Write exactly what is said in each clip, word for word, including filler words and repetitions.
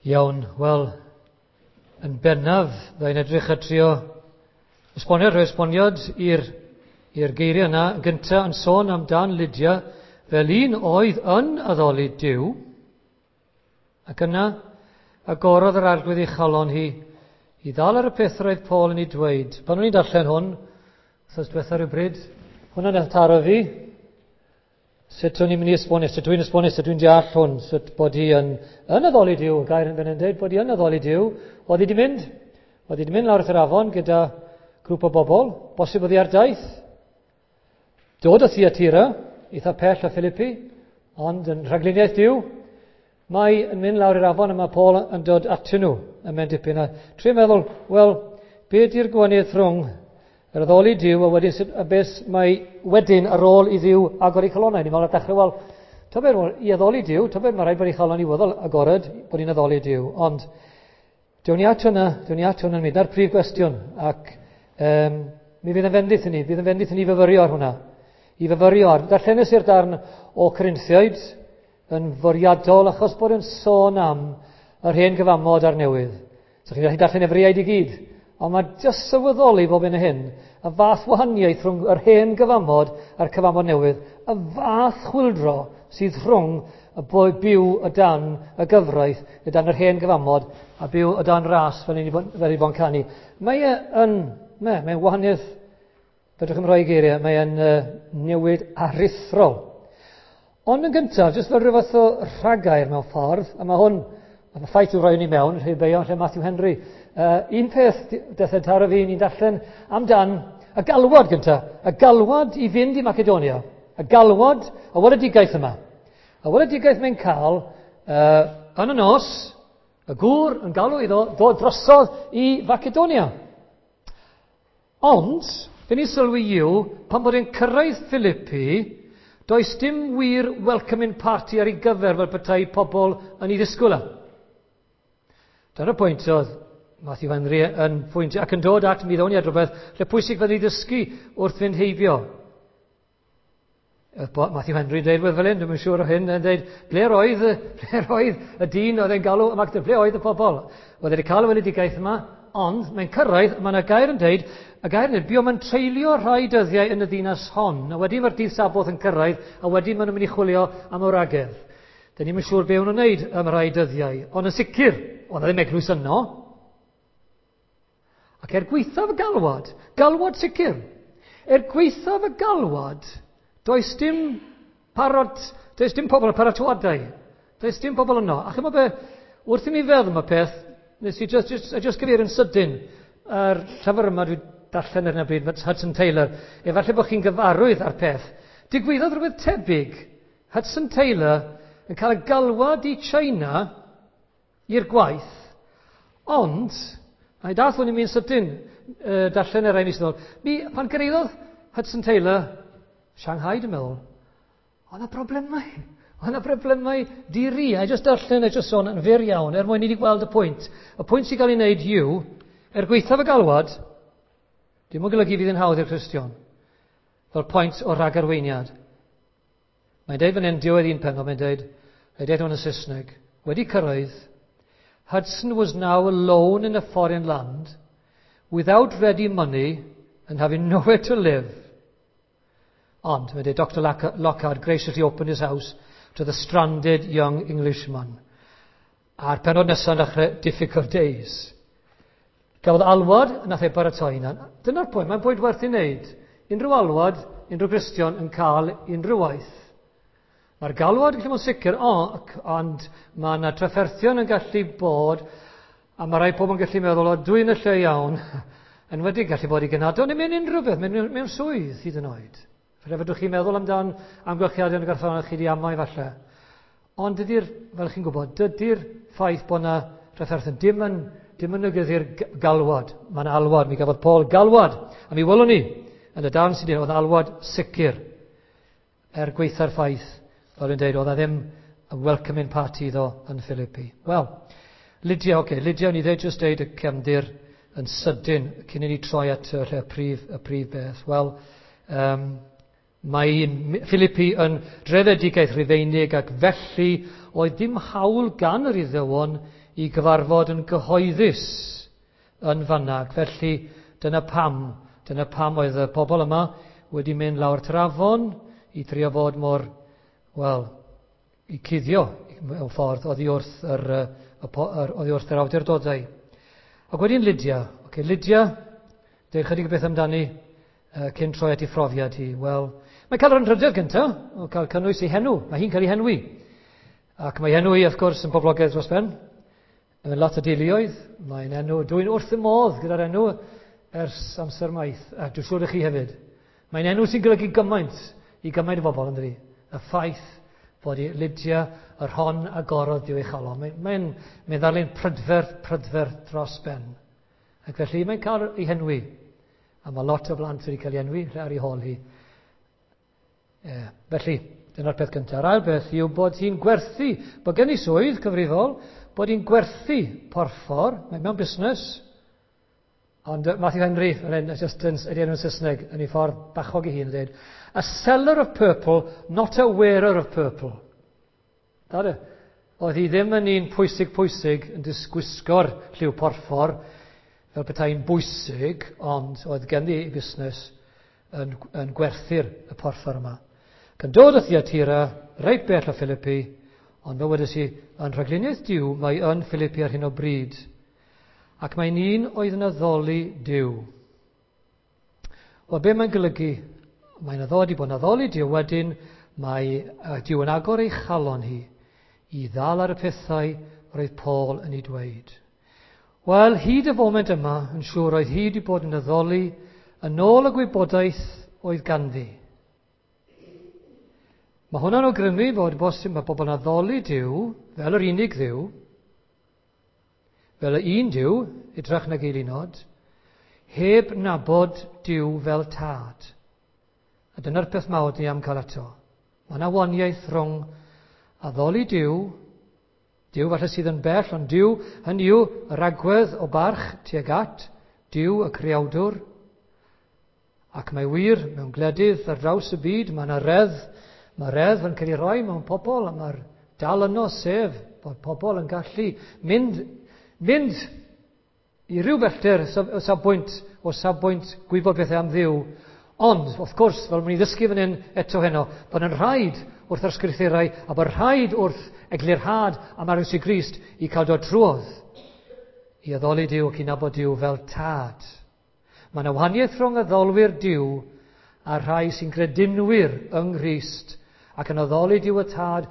Iawn, wel, yn bennaf, byddai'n edrych a trio esbonio, rhoi esboniad i'r i'r geiriau yna. Gyntaf yn sôn amdan Lydia fel un oedd yn addoli Duw, ac yna agorodd yr Arglwydd ei chalon hi i ddal ar y peth roedd Paul yn ei dweud. Pan o'n i'n darllen hwn, wythnos diwetha rhywbryd, hwnna'n nath taro fi, sut o'n i'n mynd i esbonio, sut dwi'n esbonio, sut dwi'n deall hwn, sut bod hi yn, yn addoli Duw, y gair yn fan hyn dweud bod hi yn addoli Duw. Oedd hi wedi mynd, oedd hi wedi mynd lawr wrth yr afon gyda grŵp o bobl, bosib oedd hi ar daith, dod o Thyatira, eitha pell o Philippi, ond yn rhagluniaeth Duw, mae yn mynd lawr i'r afon a mae Paul yn dod atyn nhw yn mynd dipyn. A trio meddwl, wel, be di'r gwahaniaeth rhwng yr addoli Duw a wedyn sut, a beth mae wedyn ar ôl i Dduw agor ei chalonnau. Ni'n meddwl ar dechrau, wel, tybed, i addoli Duw, tybed mae rhaid bod ei chalon i weddol agored bod hi'n addoli Duw. Ond, dewn ni at hwnna, dewn ni at hwnna'n mynd, na'r prif gwestiwn, ac um, mi fydd yn fendith i ni, fydd yn fendith i ni fyfyrio ar hwnna. I fyfyrio ar, darllenes i'r darn o Corinthiaid yn fwriadol achos bod yn sôn am yr hen gyfamod a'r newydd. So chi'n gallu darllen Efreiaid i gyd, ond mae jyst sylweddoli bob un o hyn, y fath wahaniaeth rhwng yr hen gyfamod a'r cyfamod newydd, y fath chwyldro sydd rhwng y boi byw o dan y gyfraith, o dan yr hen gyfamod, a byw o dan ras fel ni fel i bod yn canu. Mae e yn, mae, mae'n wahaniaeth, fedrwch chi'm rhoi geiriau, mae e'n uh, newid aruthrol. Ond yn gyntaf, jyst fel rhyw fath o rhagair mewn ffordd, a mae hwn, y ffaith yw rhoi ni mewn, rhy beio lle Matthew Henry. Uh, un peth daeth yn taro fi, ni'n darllen amdan y galwad gyntaf, y galwad i fynd i Macedonia, y galwad, y weledigaeth yma. Y weledigaeth mae'n cael uh, yn y nos, y gŵr yn galw iddo ddod drosodd i Macedonia. Ond, fe ni sylwi yw, pan bod e'n cyrraedd Philippi, does dim wir welcoming party ar ei gyfer fel petai pobl yn ei ddisgwyl e. Dyna'r pwynt oedd Matthew Henry yn pwynt ac yn dod at mi ddown ni at rhywbeth lle pwysig fydd ei ddysgu wrth fynd heibio. Matthew Henry yn dweud fel hyn, dwi'n siŵr o hyn, yn dweud, ble roedd, ble roedd y dyn oedd e'n galw, ble oedd y pobl? Oedd e wedi cael y weledigaeth yma, ond mae'n cyrraedd, mae yna gair yn dweud, y gair yn dweud, buom yn treulio rhai dyddiau yn y ddinas hon, a wedyn mae'r dydd Saboth yn cyrraedd, a wedyn maen nhw'n mynd i chwilio am wragedd. Dyn ni'm yn siŵr be o'n nhw'n wneud am rhai dyddiau, ond yn sicr, oedd ddim eglwys yno. Ac er gwaethaf y galwad, galwad sicr, er gwaethaf y galwad, does dim parod, does dim pobl yn paratoadau, does dim pobl yno. A chymod be, wrth i mi feddwl am y peth, nes i just, just, just gyfeirio yn sydyn ar llyfr yma dwi darllen ar hyn o bryd, Hudson Taylor. Efallai bod chi'n gyfarwydd ar peth. Digwyddodd rhywbeth tebyg. Hudson Taylor yn cael y galwad i China i'r gwaith, ond, a i dath hwn i mi'n sydyn, uh, darllen yr rai mis yn ôl, mi, pan gyrhaeddodd Hudson Taylor, Shanghai dwi'n meddwl, oedd yna problemau. Oedd yna problemau diri. A just darllen, a just sôn yn fyr iawn, er mwyn i ni gweld y pwynt. Y pwynt sy'n cael ei wneud yw, er gwaethaf y galwad, dim yn golygu fydd yn hawdd i'r Cristion, fel pwynt o ragarweiniad. Mae'n deud fan hyn, diwedd un pennod, mae'n deud, mae'n deud hwn yn Saesneg, wedi cyrraedd, Hudson was now alone in a foreign land, without ready money and having nowhere to live. Ond, mae'n deud, Doctor Lockhart graciously opened his house to the stranded young Englishman. A'r pennod nesaf yn dechrau Difficult Days. Gafodd alwad, nath ei baratoi yna. Dyna'r pwynt, mae'n pwynt werth i wneud. Unrhyw alwad, unrhyw Gristion yn cael unrhyw waith. Mae'r galwad yn gallu bod yn sicr, o, ond mae yna trafferthion yn gallu bod, a mae rai pobl yn gallu meddwl, o, dwi'n y lle iawn, yn wedi gallu bod i genadon, neu mewn unrhyw beth, mewn, mewn swydd hyd yn oed. Falle fedrwch chi'n meddwl amdan amgylchiadau yn y gorffennol chi wedi amau falle. Ond dydy'r, fel chi'n gwybod, dydy'r ffaith bod yna trafferthion dim yn, dim yn negyddu'r galwad. Mae'n alwad, mi gafodd Paul galwad. A mi welwn ni, yn y darn sydd oedd alwad sicr er gwaetha'r ffaith, fel yn dweud, oedd e ddim y welcoming party iddo yn Philippi. Wel, Lydia, oce, okay, Lydia, ni ddweud just dweud y cefndir yn sydyn cyn i ni troi at y, y prif, y prif beth. Wel, um, mae Philippi yn drefedigaeth Rufeinig ac felly oedd dim hawl gan yr Iddewon i gyfarfod yn gyhoeddus yn fanna. Felly dyna pam, dyna pam oedd y pobl yma wedi mynd lawr at yr afon i trio fod mor, wel, i cuddio mewn ffordd oddi wrth yr, y, yr, oddi wrth yr awdurdodau. Ac wedyn Lydia. Okay, Lydia, dweud chydig o beth amdani uh, cyn troi at ei phrofiad hi. Wel, mae'n cael yr anrhydedd gyntaf o cael cynnwys ei henw. Mae hi'n cael ei henwi. Ac mae henw hi, wrth gwrs, yn boblogaidd dros ben. Mae'n lot o deuluoedd. Mae'n enw, dwi'n wrth y modd gyda'r enw ers amser maith. A dwi'n siŵr i chi hefyd. Mae'n enw sy'n golygu gymaint i gymaint o bobl, yn dydi? Y ffaith bod i Lydia yr hon agorodd Duw ei chalon. Mae'n mae mae ddarlun prydferth, prydferth dros ben. Ac felly mae'n cael ei henwi. A mae lot o blant wedi cael ei enwi ar ei hôl hi. E, felly, dyna'r peth cyntaf. Yr ail beth yw bod hi'n gwerthu, bod gen i swydd cyfrifol, bod hi'n gwerthu porffor, mae mewn busnes, ond Matthew Henry, just yn, ydy enw'n Saesneg, yn ei ffordd bachog ei hun, yn dweud, "A seller of purple, not a wearer of purple." Da, oedd hi ddim yn un pwysig pwysig yn disgwisgo'r lliw porffor, fel petai'n bwysig, ond oedd ganddi ei busnes yn, yn gwerthu'r y porffor yma. Gan dod o Thyatira, reit bell o Philippi, ond fel wedes i, yn rhagluniaeth Duw, mae yn Philippi ar hyn o bryd. Ac mae'n un oedd yn addoli Duw. Wel, be mae'n golygu? Mae'n addoli bod yn addoli Duw, wedyn mae Duw yn agor ei chalon hi i ddal ar y pethau roedd Paul yn ei dweud. Wel, hyd y foment yma, yn siŵr oedd hi wedi bod yn addoli yn ôl y gwybodaeth oedd ganddi. Mae hwnna'n awgrymu bod bosib mae pobl yn addoli Duw fel yr unig Dduw, fel y un Duw, hytrach nag eilunod, heb nabod Duw fel tad. A dyna'r peth mawr ni am cael ato. Mae yna wahaniaeth rhwng addoli Duw, Duw falle sydd yn bell, ond Duw, hynny yw yr agwedd o barch tuag at Duw y creawdwr. Ac mae wir mewn gwledydd ar draws y byd, mae yna reddf, mae reddf yn cael ei roi mewn pobl, a mae'r dal yno, sef bod pobl yn gallu mynd, mynd i ryw bellter o safbwynt, o safbwynt gwybod bethau am Dduw. Ond, wrth gwrs, fel mwyn i ddysgu fan hyn eto heno, bod yn rhaid wrth yr ysgrythurau a bod rhaid wrth eglurhad am Iesu Grist i cael dod trwodd i addoli Duw ac i nabod Duw fel tad. Mae yna wahaniaeth rhwng addolwyr Duw a rhai sy'n gredinwyr yng Nghrist ac yn addoli Duw y Tad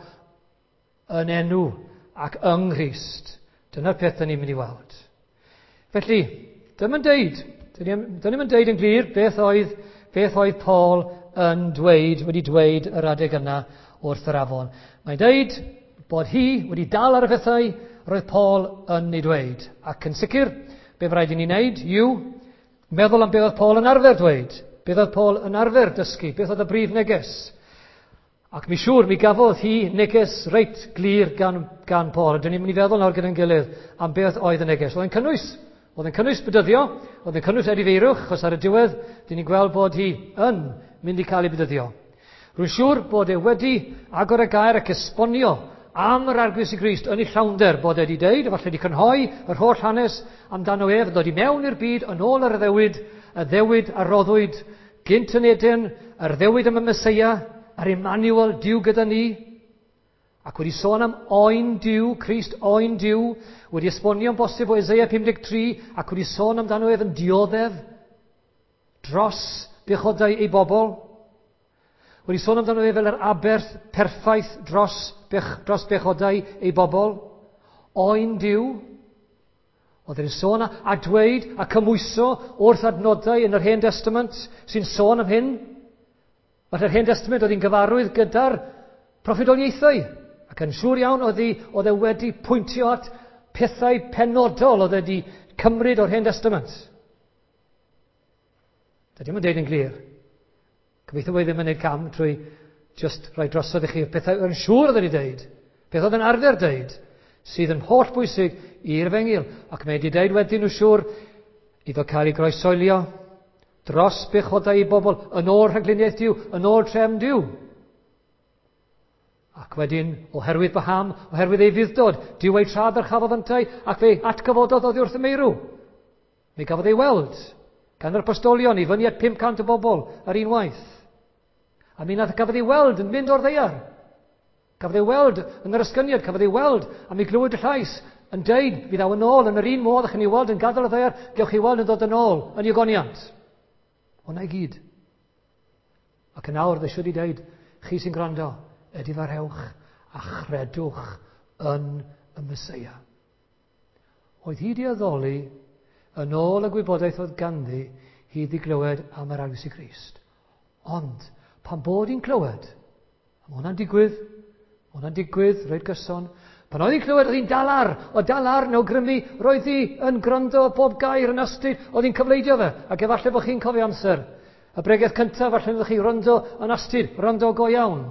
yn enw ac yng Nghrist. Dyna'r peth dyn ni'n mynd i weld. Felly, dyma'n deud, dyn ni'n deud yn glir beth oedd, beth oedd Paul yn dweud, wedi dweud yr adeg yna wrth yr afon. Mae'n deud bod hi wedi dal ar y pethau roedd Paul yn ei dweud. Ac yn sicr, be rhaid i ni wneud yw meddwl am beth oedd Paul yn arfer dweud, beth oedd Paul yn arfer dysgu, beth oedd y brif neges. Ac mi siŵr, mi gafodd hi neges reit glir gan, gan Paul. A dyn ni'n mynd i feddwl nawr gyda'n gilydd am beth oedd y neges. Oedd yn cynnwys, oedd yn cynnwys bedyddio, oedd yn cynnwys edifeirwch, achos ar y diwedd, dyn ni'n gweld bod hi yn mynd i cael ei bedyddio. Rwy'n siŵr bod e wedi agor y gair ac esbonio am yr Arglwydd Iesu Grist yn ei llawnder, bod e wedi deud, efallai wedi crynhoi yr holl hanes amdano ef, dod i mewn i'r byd yn ôl yr addewid, y addewid a roddwyd gynt yn Eden, yr addewid am y Meseia, a'r Emmanuel, Duw gyda ni, ac wedi sôn am oen Duw, Crist oen Duw, wedi esbonio'n bosib o Eseia pum deg tri, ac wedi sôn amdano ef yn dioddef dros bechodau ei bobl, wedi sôn amdano ef fel yr aberth perffaith dros, bech, dros bechodau ei bobl, oen Duw. Oedd e'n sôn a, a dweud a cymhwyso wrth adnodau yn yr Hen Testament sy'n sôn am hyn. Falle'r Hen Testament oedd hi'n gyfarwydd gyda'r proffwydoliaethau, ac yn siŵr iawn oedd, hi, oedd e wedi pwyntio at pethau penodol oedd wedi cymryd o'r Hen Testament. Dydy o'm yn deud yn glir. Gobeithio bod e ddim yn gwneud cam trwy just rhoi drosodd i chi pethau yn siŵr oedd wedi deud, peth oedd yn arfer deud, sydd yn holl bwysig i'r efengyl. Ac mae wedi deud wedyn nhw siŵr iddo cael ei groesoelio dros bechodau i bobl, yn ôl rhagluniaeth Duw, yn ôl trefn Duw. Ac wedyn, oherwydd Baham, oherwydd ei fuddod, Duw ei tra ddyrchafodd yntau, ac fe atgyfododd oddi wrth y meirw. Mi gafodd ei weld gan yr apostolion i fyny at pum cant o bobl ar unwaith. A mi nath gafodd ei weld yn mynd o'r ddaear. Cafodd ei weld yn yr esgyniad, cafodd ei weld, a mi glywyd y llais yn deud, mi ddaw yn ôl yn yr un modd, ych ni weld yn gadael y ddaear, gewch chi weld yn dod yn ôl yn ei ogoniant. Hwna i gyd. Ac yn awr, fe siwr i deud, chi sy'n gwrando, edifarhewch a chredwch yn y Meseia. Oedd hi di addoli yn ôl y gwybodaeth oedd ganddi, hi di glywed am yr Arglwydd Grist. Ond, pan bod hi'n clywed, a mae hwnna'n digwydd, mae hwnna'n digwydd, reit gyson, pan oedd hi'n clywed, oedd hi'n dal ar, o dal ar yn awgrymu, roedd hi yn gwrando bob gair yn astud, oedd hi'n cyfleidio fe, ac efallai bod chi'n cofio amser. Y bregeth cyntaf, falle ydych chi wrando yn astud, wrando go iawn.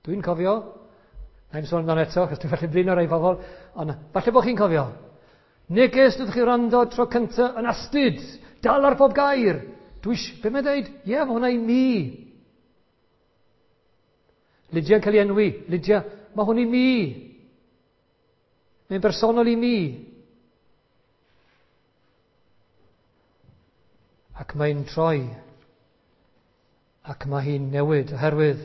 Dwi'n cofio, na i'n sôn amdano eto, achos dwi'n falle blino rai pobl, ond falle bod chi'n cofio. Neges ydych chi wrando tro cyntaf yn astud, dal ar bob gair. Dwi eisiau, be mae'n dweud? Ie, yeah, mae hwnna i mi. Lydia'n cael ei enwi. Lydia, mae hwn i mi. Mae'n bersonol i mi. Ac mae'n troi. Ac mae hi'n newid, oherwydd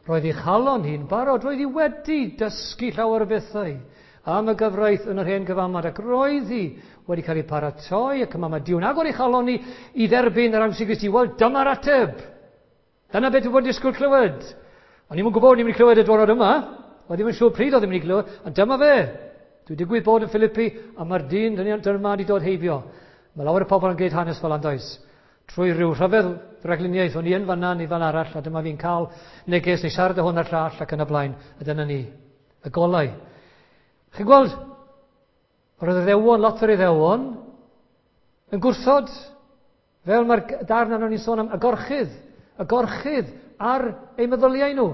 roedd ei chalon hi'n barod, roedd hi wedi dysgu llawer o bethau am y gyfraith yn yr hen gyfamod, ac roedd hi wedi cael ei paratoi, ac yma mae Duw'n agor ei chalon hi i dderbyn yr Arglwydd Grist. Wel, dyma'r ateb. Dyna beth dwi'n bod yn disgwyl clywed. O'n i'm yn gwybod o'n i'n mynd i clywed y diwrnod yma. O'n ddim yn siŵr pryd oedd i'n mynd i clywed, ond dyma fe. Dwi digwydd bod yn Philippi, a mae'r dyn dyma wedi dod heibio. Mae lawer o pobl yn gwneud hanes fel andoes. Trwy rhyw rhyfedd ragluniaeth, o'n i yn fanna neu fan arall, a dyma fi'n cael neges neu siarad o hwn a'r llall ac yn y blaen, a dyna ni, y golau. Chi'n gweld, roedd yr Iddewon, lot o'r Iddewon, yn gwrthod, fel mae'r darn arno ni'n sôn am, y gorchudd, y gorchudd ar eu meddyliau nhw.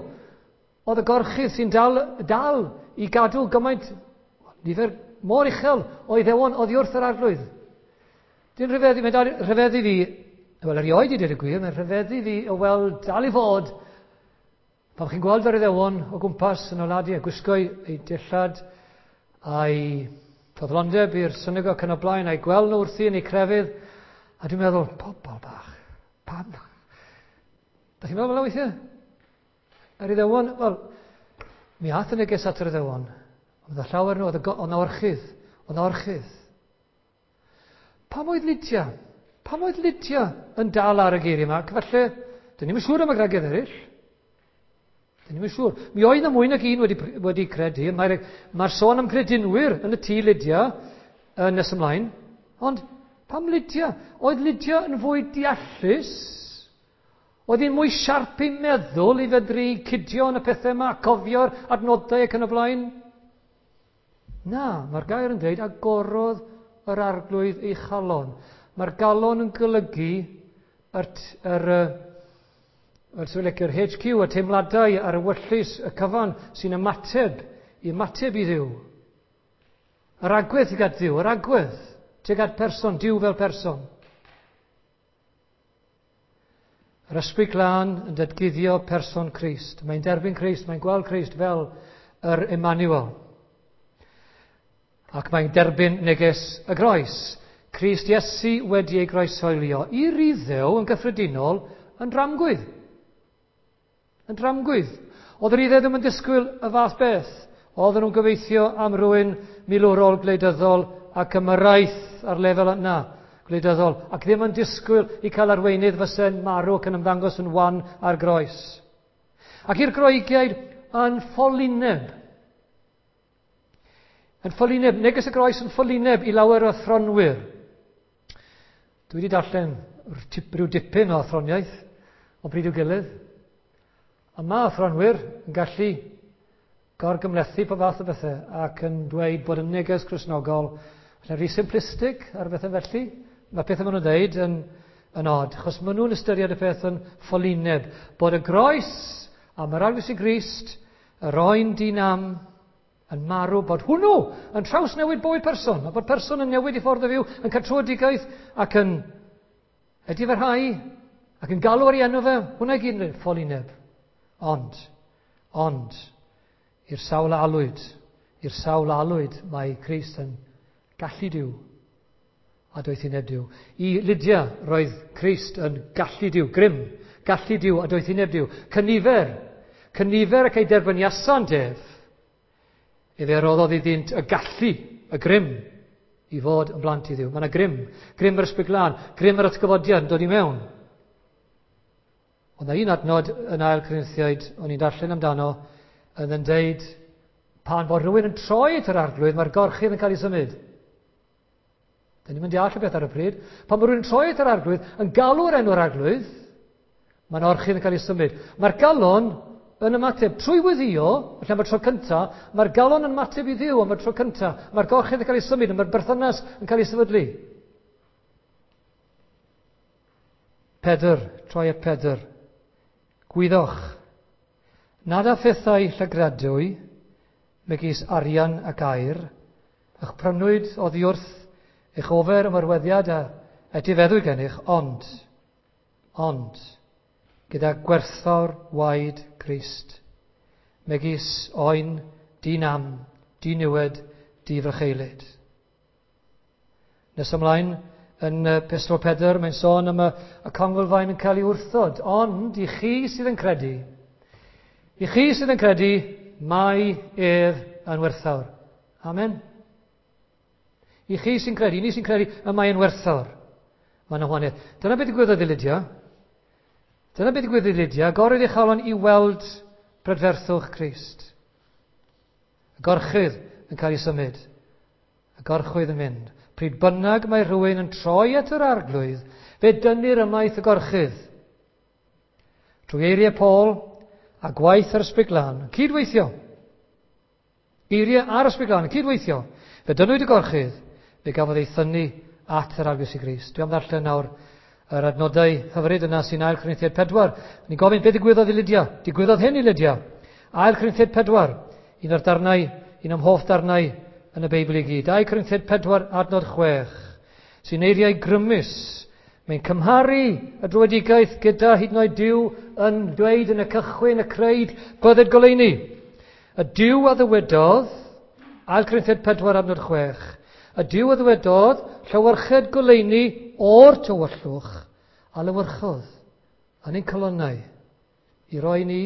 Oedd y gorchudd sy'n dal, dal i gadw gymaint, nifer mor uchel o Iddewon oddi wrth yr Arglwydd. Dwi'n rhyfeddu, mae'n dal rhyfeddu fi, wel erioed i dweud y gwir, mae'n rhyfeddu fi o weld dal i fod, pan chi'n gweld yr Iddewon o gwmpas yn oladu a gwisgo eu dillad a'i ffyddlondeb i'r synagog yn y blaen, a'i gweld nhw wrthi yn eu crefydd, a dwi'n meddwl, pobl bach, pam? Da chi'n meddwl fel weithiau? Yr Iddewon, wel, mi ath y neges at yr Iddewon, ond oedd llawer nhw, oedd yna orchudd, oedd yna orchudd. Pam oedd Lydia? Pam oedd Lydia yn dal ar y geiriau yma? Ac falle, dyn ni'm yn siŵr am y gwragedd eraill. Dyn ni'm yn siŵr. Mi oedd yna mwy nag un wedi, wedi credu. Mae'r mae sôn am credinwyr yn y tŷ Lydia yn nes ymlaen. Ond pam Lydia? Oedd Lydia yn fwy deallus? Oedd hi'n mwy siarp i meddwl i fedru cydio yn y pethau yma, cofio'r adnodau ac yn y blaen? Na, mae'r gair yn dweud agorodd yr Arglwydd ei chalon. Mae'r galon yn golygu yr, yr, yr, yr H Q, y teimladau a'r ewyllys, y cyfan sy'n ymateb, i ymateb i Dduw. Yr agwedd tuag at Dduw, yr agwedd tuag at person, Duw fel person. Yr Ysbryd Glân yn datguddio person Crist. Mae'n derbyn Crist, mae'n gweld Crist fel yr Emmanuel. Ac mae'n derbyn neges y groes. Crist Iesu wedi ei groeshoelio i'r Iddew yn gyffredinol yn dramgwydd. Yn dramgwydd. Oedd yr Iddew ddim yn disgwyl y fath beth. Oedden nhw'n gobeithio am rywun milwrol gwleidyddol ac ymyrraeth ar lefel yna gwleidyddol, ac ddim yn disgwyl i cael arweinydd fyse'n marw ac yn ymddangos yn wan ar groes. Ac i'r Groegiaid yn ffolineb. Yn ffolineb, neges y groes yn ffolineb i lawer o athronwyr. Dwi wedi darllen rhyw dipyn o athroniaeth o bryd i'w gilydd. A mae athronwyr yn gallu gorgymhlethu pob fath o bethau ac yn dweud bod y neges Cristnogol yn rhy simplistic ar bethau felly. Mae pethau maen nhw'n dweud yn, yn odd, achos maen nhw'n ystyried y peth yn ffolineb. Bod y groes am yr Arglwydd Grist, yr oen dinam, yn marw, bod hwnnw yn trawsnewid bywyd person, a bod person yn newid i ffordd o fyw, yn cael tröedigaeth ac yn edifarhau, ac yn galw ar ei enw fe, hwnna i gyd yn ffolineb. Ond, Ond, i'r sawl a alwyd, i'r sawl a alwyd, mae Crist yn gallu Duw a doethineb Duw. I Lydia, roedd Crist yn gallu Duw, grym, gallu Duw a doethineb Duw. Cynifer, cynifer ac ei derbyniasant ef, efe roddodd iddynt y gallu, y grym, i fod yn blant i Dduw. Mae yna grym, grym yr Ysbryd Glân, grym yr atgyfodiad yn dod i mewn. Ond na un adnod yn Ail Corinthiaid, o'n i'n darllen amdano, yn yn deud, pan fod rhywun yn troi at yr Arglwydd, mae'r gorchudd yn cael ei symud. Dyn ni'n mynd i all y beth ar y pryd. Pan bod rhywun yn troi at yr Arglwydd, yn galw'r enw'r Arglwydd, mae'n orchudd yn cael ei symud. Mae'r galon yn ymateb trwy weddïo, felly am y tro cyntaf, mae'r galon yn ymateb i Dduw am y tro cyntaf. Mae'r gorchudd yn cael ei symud, mae'r berthynas yn cael ei sefydlu. Pedr, troi at Pedr. Gwyddoch, nad â phethau llygradwy, megis arian ac aur, a'ch prynwyd oddi wrth eich ofer ymarweddiad a etifeddwyd gennych, ond, ond, gyda gwerthfawr waed Crist, megis oen, di-nam, di-niwed, di-frycheulyd. Nes ymlaen, yn Epistol Pedr, mae'n sôn am y, y conglfaen yn cael ei wrthod, ond i chi sydd yn credu, i chi sydd yn credu, mae ef yn werthfawr. Amen. I chi sy'n credu, i ni sy'n credu, y mae yn werthfawr. Mae'n wahaniaeth. Dyna beth digwyddodd i Lydia. Dyna beth digwyddodd i Lydia. Agorwyd ei chalon i weld brydferthwch Crist. Y gorchudd yn cael ei symud. Y gorchwydd yn mynd. Pryd bynnag mae rhywun yn troi at yr Arglwydd, fe dynnir ymaith y gorchudd. Trwy eiriau Paul a gwaith yr Ysbryd Glân, cydweithio. Geiriau a'r Ysbryd Glân, cydweithio. Fe dynnwyd y gorchudd, fe gafodd ei thynnu at yr Arglwydd Iesu Grist. Dwi am ddarllen nawr yr adnodau hyfryd yna sy'n Ail Corinthiaid pedwar. Ni'n gofyn, beth digwyddodd i Lydia? Digwyddodd hyn i Lydia. Ail Corinthiaid pedwar, un o'r darnau, un o'm hoff darnau yn y Beibl i gyd. Ail Corinthiaid pedwar, adnod chwech, sy'n eiriau grymus. Mae'n cymharu y dröedigaeth gyda hyd yn oed Duw yn dweud yn y cychwyn, y creid, bydded goleuni. Y Duw a ddywedodd, Ail Corinthiaid pedwar, adnod chwech, y Duw a ddywedodd, llewyrched goleuni o'r tywyllwch, a lewyrchodd yn ein calonnau i roi ni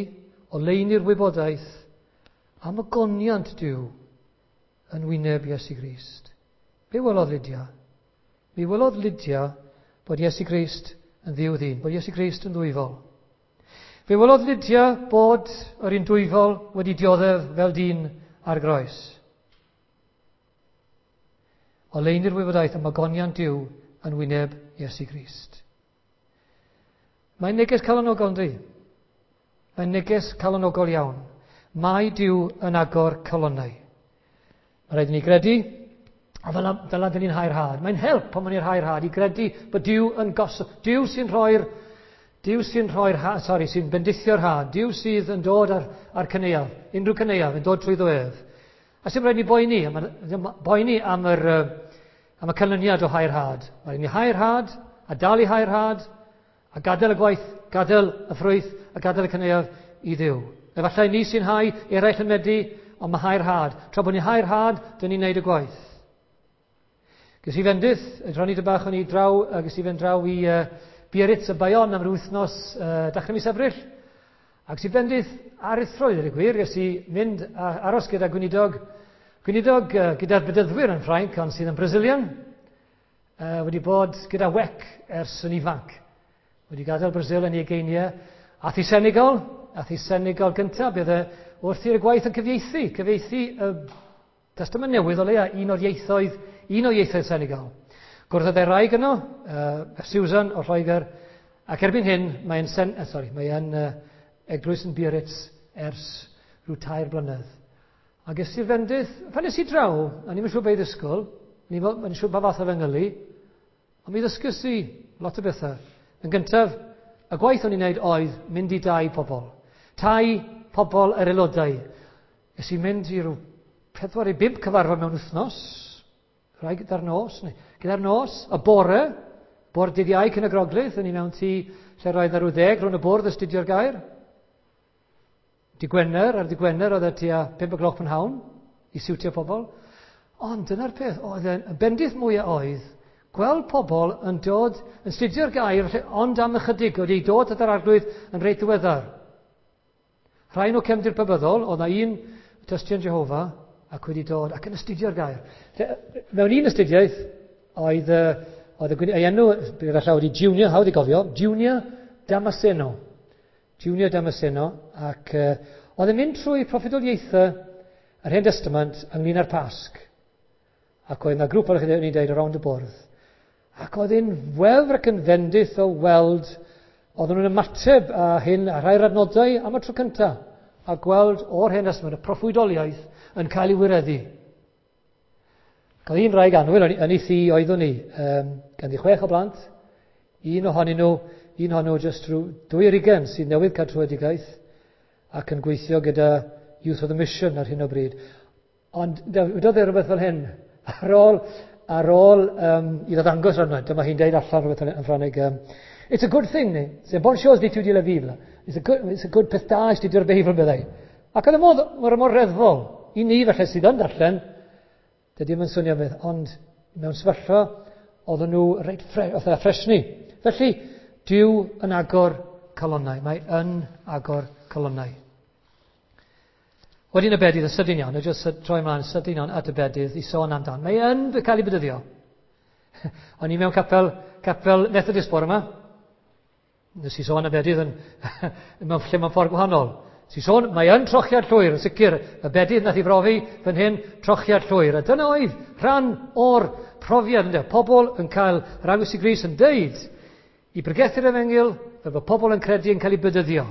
oleuni'r wybodaeth am ogoniant Duw yn wyneb Iesu Grist. Be welodd Lydia? Mi welodd Lydia bod Iesu Grist yn dduw ddyn, bod Iesu Grist yn ddwyfol. Fe welodd Lydia bod yr un dwyfol wedi dioddef fel dyn ar groes. Oleuni'r wybodaeth am ogoniant Duw yn wyneb Iesu Grist. Mae'n neges calonogol, yndi? Mae'n neges calonogol iawn. Mae Duw yn agor calonnau. Mae rhaid i ni gredu, a fel, fel dyn ni'n hau'r had. Mae'n help pan ni'n hau'r had i gredu bod Duw yn gosod. Duw sy'n rhoi'r, Duw sy'n rhoi'r had, sorry, sy'n bendithio'r had. Duw sydd yn dod ar, ar cyneuaf, unrhyw cyneuaf yn dod trwyddo ef. A sy'n rhaid ni boeni, boeni am, yr, am y canlyniad o hau'r had. Mae rhaid ni hau'r had, a dal i hau'r had, a gadael y gwaith, gadael y ffrwyth, a gadael y cyneuaf i Dduw. Efallai ni sy'n hau, eraill yn medi, ond mae hau'r had. Tra bod ni'n hau'r had, dyn ni'n neud y gwaith. Ges i fendith, rhannu dy bach o'n i draw, ges i fynd draw i uh, Biarritz y Bayonne am yr wythnos uh, dechrau mis Ebrill. Ac ges i fendith aruthrol, i ddweud y gwir, ges i mynd a aros gyda gweinidog, gweinidog uh, gyda'r bedyddwyr yn Ffrainc, ond sydd yn Brazilian, uh, wedi bod gyda W E C ers yn ifanc. Wedi gadael Brasil yn ei ugeiniau. Ath i Senegal, ath i Senegal gyntaf, bydd e wrth i'r gwaith yn cyfieithu, cyfieithu y Testament Newydd o leia, un o'r ieithoedd, un o ieithoedd Senegal. Gwrdd â yno, uh, Susan o Lloegr, ac erbyn hyn mae'n sen, uh, sorry, mae'n uh, eglwys yn Biarritz ers rhyw tair blynedd. A ges i'r fendith, pan nes i draw, a ni'n siŵr beth i ddysgwyl, ni'n siŵr pa fath o fengylu, ond mi ddysgus i lot o bethau. Yn gyntaf, y gwaith o'n i'n neud oedd mynd i dau pobl. Tai pobl yr aelodau. Nes i mynd i rhyw pedwar i bump cyfarfod mewn wythnos, rhai gyda'r nos, neu gyda'r nos, y bore, bore dydd Iau cyn y Groglith, o'n i mewn tŷ lle roedd ar rhyw ddeg rhwng y bwrdd astudio'r gair. Dy Gwener, ar dy Gwener oedd e tua pump o gloch prynhawn i siwtio pobl. Ond dyna'r peth, oedd e'n y bendith mwyaf oedd gweld pobl yn dod, yn studio'r gair, ond am ychydig, wedi dod at yr Arglwydd yn reit ddiweddar. Rhai nhw cefndir pabyddol, oedd na un tystion Jehofa ac wedi dod ac yn astudio'r gair. Mewn un astudiaeth, oedd, oedd y, ei enw, gyda llaw wedi Junior, hawdd i gofio, Junior Damasceno. Junior Damasceno, ac uh, oedd yn mynd trwy proffwydoliaethau yr Hen Testament ynglyn â'r Pasg. Ac oedd yna grŵp o'r ni'n dweud around y bwrdd. Ac oedd e'n wefr ac yn fendith o weld, oedden nhw'n ymateb a hyn a rhai'r adnodau am y tro cyntaf, a gweld o'r Hen Testament y proffwydoliaeth yn cael ei wireddu. Cael un wraig annwyl yn ei thŷ oeddwn ni, um, ganddi chwech o blant, un ohonyn nhw, un ohonyn nhw jyst rhyw dwy ar hugain sydd newydd cael tröedigaeth ac yn gweithio gyda Youth of the Mission ar hyn o bryd. Ond wedodd e rhywbeth fel hyn, ar ôl, ar ôl um, iddo ddangos arno, dyma hi'n deud allan rhywbeth yn Ffrangeg, um, "It's a good thing, c'est bonne chose d'étudier la Bible. It's a good, it's a good peth da astudio'r Beibl," meddai. Ac oedd y modd, mor, mor reddfol, i ni falle sydd yn darllen, dydy ddim yn swnio beth, ond mewn sefyllfa, oedden nhw reit ffre, oedd e ffresni. Felly, Duw yn agor calonnau. Mae yn agor calonnau. Wedyn y bedydd, yn sydyn iawn, jyst troi ymlaen sydyn iawn at y bedydd i sôn amdan. Mae yn cael ei bedyddio. O'n i mewn capel, capel Methodist bore yma. Nes i sôn y bedydd yn, mewn lle mewn ffordd gwahanol. Nes i sôn, mae yn trochiad llwyr, yn sicr, y bedydd nath i brofi fan hyn, trochiad llwyr. A dyna oedd rhan o'r profiad, ynde? Pobl yn cael yr Arglwydd Iesu Grist yn deud i bregethu'r efengyl, fel bod pobl yn credu yn cael ei bedyddio.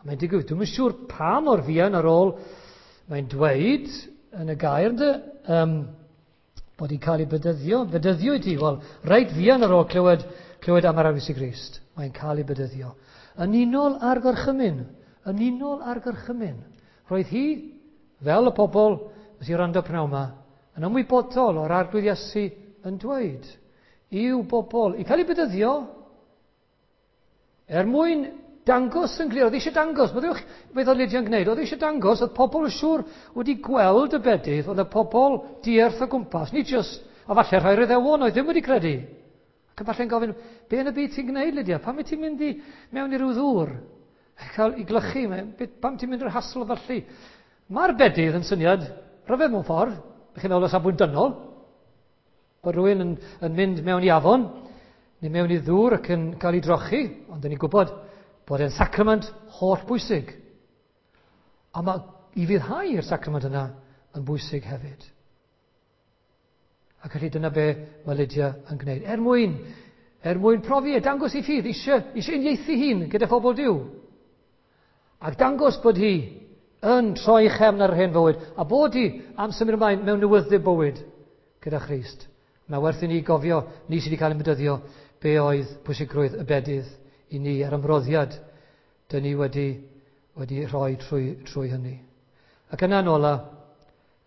A mae'n digwydd, dwi'm yn siŵr pa mor fuan ar ôl mae'n dweud yn y gair, ynde, um, bod hi'n cael ei bedyddio. Bedyddio i ti, wel, reit fuan ar ôl clywed, clywed am yr Arglwydd Iesu Grist, mae'n cael ei bedyddio. Yn unol â'r gorchymyn, yn unol â'r gorchymyn. Roedd hi, fel y pobl nes i wrando pnawn yma, yn ymwybodol o'r Arglwydd Iesu yn dweud i'w bobl i cael ei bedyddio er mwyn dangos yn glir. Oedd eisiau dangos, meddyliwch beth oedd Lydia'n gwneud, oedd eisiau dangos, oedd pobl yn siŵr wedi gweld y bedydd, oedd y pobl dierth o gwmpas, nid just, a falle rhai Iddewon oedd ddim wedi credu. Ac yn falle'n gofyn, be yn y byd ti'n gwneud, Lydia? Pam wyt ti'n mynd i mewn i ryw ddŵr? Cael ei glychu, pam ti'n mynd i'r hassle felly? Mae'r bedydd yn syniad rhyfedd mewn ffordd, chi'n meddwl o safbwynt dynol, bod rhywun yn, yn mynd mewn i afon, neu mewn i ddŵr ac yn cael ei drochi, ond dyn ni'n gwybod bod e'n sacrament holl bwysig. A mae i ufuddhau i'r sacrament yna yn bwysig hefyd. Ac felly dyna be mae Lydia yn gwneud. Er mwyn, er mwyn profi e, dangos ei ffydd, eisiau, eisiau uniaethu hun gyda phobl Duw. Ac dangos bod hi yn troi chefn ar yr hen fywyd, a bod hi am symud ymlaen mewn newydd bywyd gyda Christ. Mae werth i ni gofio, ni sydd wedi cael ein bedyddio, be oedd pwysigrwydd y bedydd i ni a'r ymroddiad dyn ni wedi, wedi rhoi trwy, trwy hynny. Ac yna yn ola,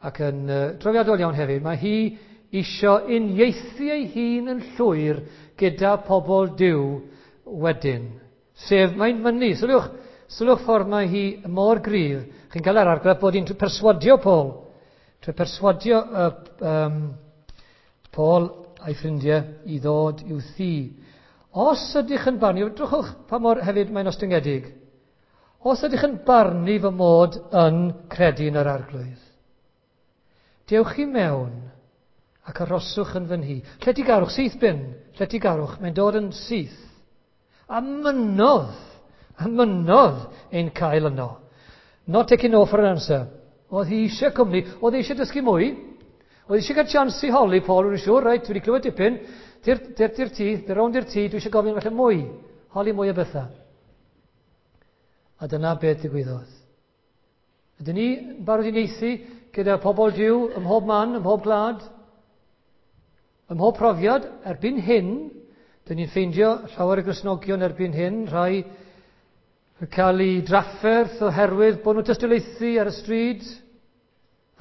ac yn uh, drawiadol iawn hefyd, mae hi isio uniaethu ei hun yn llwyr gyda pobl Duw wedyn. Sef, mae'n mynnu, sylwch, sylwch ffordd mae hi mor gryf. Chi'n cael yr argraff bod hi'n perswadio Paul. Trwy perswadio uh, um, Paul a'i ffrindiau i ddod i'w thŷ. Os ydych yn barnu, drychwch pa mor hefyd mae'n ostyngedig. Os ydych yn barnu fy mod yn credu yn yr Arglwydd, dewch i mewn ac arhoswch yn fy nhŷ. Lletygarwch, syth bin, lletygarwch, mae'n dod yn syth. A mynnodd, a mynnodd ein cael yno. Not taking no for an answer. Oedd hi eisiau cwmni, oedd hi eisiau dysgu mwy, oedd eisiau cael chance i holi Paul, rwy'n siŵr, reit, dwi wedi clywed dipyn, ti'r tŷ, tir rownd i'r tŷ, dwi eisiau gofyn falle mwy, holi mwy o bethau. A dyna beth ddigwyddodd. Ydyn ni yn barod i uniaethu gyda pobl Duw ym mhob man, ym mhob gwlad, ym mhob profiad? Erbyn hyn, dyn ni'n ffeindio llawer o Gristnogion erbyn hyn, rhai yn cael eu drafferth oherwydd bod nhw'n tystiolaethu ar y stryd,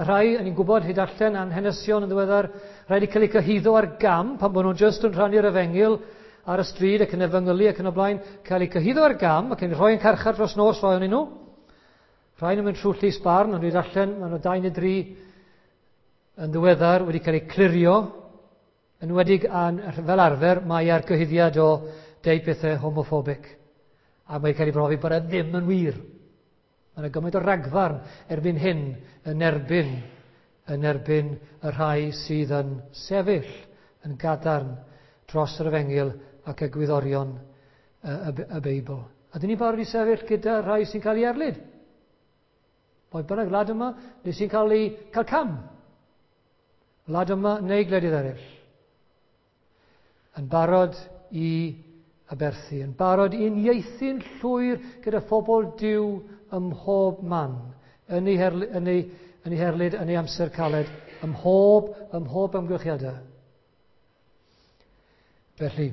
a rhai, yn ni'n gwybod hyd allan an hanesion yn ddiweddar, rhai wedi cael eu cyhuddo ar gam pan bod nhw'n just yn rhannu'r efengyl ar y stryd ac yn efengylu ac yn y blaen, cael eu cyhuddo ar gam ac yn rhoi yn carchar dros nos rhai ohonyn nhw. Rhai nhw'n mynd trwy llys barn, ond dwi'n darllen, maen nhw dau neu dri yn ddiweddar wedi cael eu clirio, enwedig an, fel arfer mae ar gyhuddiad o deud pethau homophobic. A mae'n cael ei brofi bod e ddim yn wir. Mae yna gymaint o ragfarn erbyn hyn yn erbyn, yn erbyn y rhai sydd yn sefyll yn gadarn dros yr efengyl ac egwyddorion y, y, y Beibl. A dyn ni'n barod i sefyll gyda rhai sy'n cael ei erlid. Pwy bynnag wlad yma, neu sy'n cael ei cael cam. Wlad yma neu gwledydd eraill. Yn barod i aberthu, yn barod i uniaethu'n llwyr gyda phobl Duw ym mhob man, yn ei, herli, yn ei, yn ei herlid, yn ei amser caled, ym mhob, ym mhob amgylchiadau. Felly,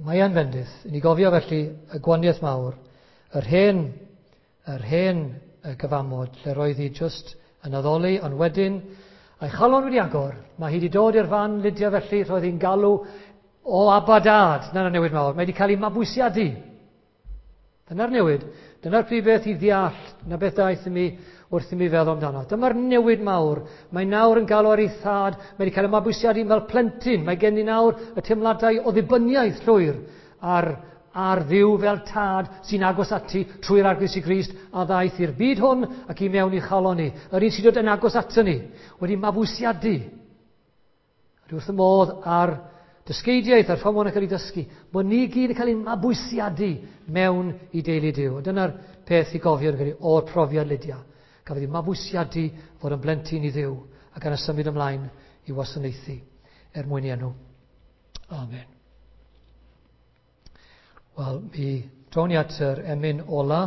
mae e'n fendith. I ni gofio felly y gwahaniaeth mawr, yr hen, yr hen y gyfamod, lle roedd hi just yn addoli, ond wedyn, a'i chalon wedi agor, mae hi wedi dod i'r fan Lydia felly, roedd hi'n galw o Abba Dad. Dyna'r newid mawr. Mae wedi cael ei mabwysiadu. Dyna'r newid. Dyna'r prif beth i ddeall, na beth daeth i mi wrth i mi feddwl amdano. Dyma'r newid mawr. Mae nawr yn galw ar ei thad. Mae wedi cael ei mabwysiadu fel plentyn. Mae gen i nawr y teimladau o ddibyniaeth llwyr ar, ar Dduw fel tad sy'n agos ati trwy'r Arglwydd Iesu Grist a ddaeth i'r byd hwn ac i mewn i chalon ni. Yr un sy'n dod yn agos ato ni, wedi mabwysiadu. Dwi wrth y modd ar dysgeidiaeth a'r ffordd mae'n cael ei dysgu, bod ni gyd yn cael ein mabwysiadu mewn i deulu Duw. Dyna'r peth i gofio o'r profiad Lydia. Cafodd ei mabwysiadu fod yn blentyn i Dduw ac yna symud ymlaen i wasanaethu er mwyn i enw. Amen. Wel, mi drown ni at yr emyn ola.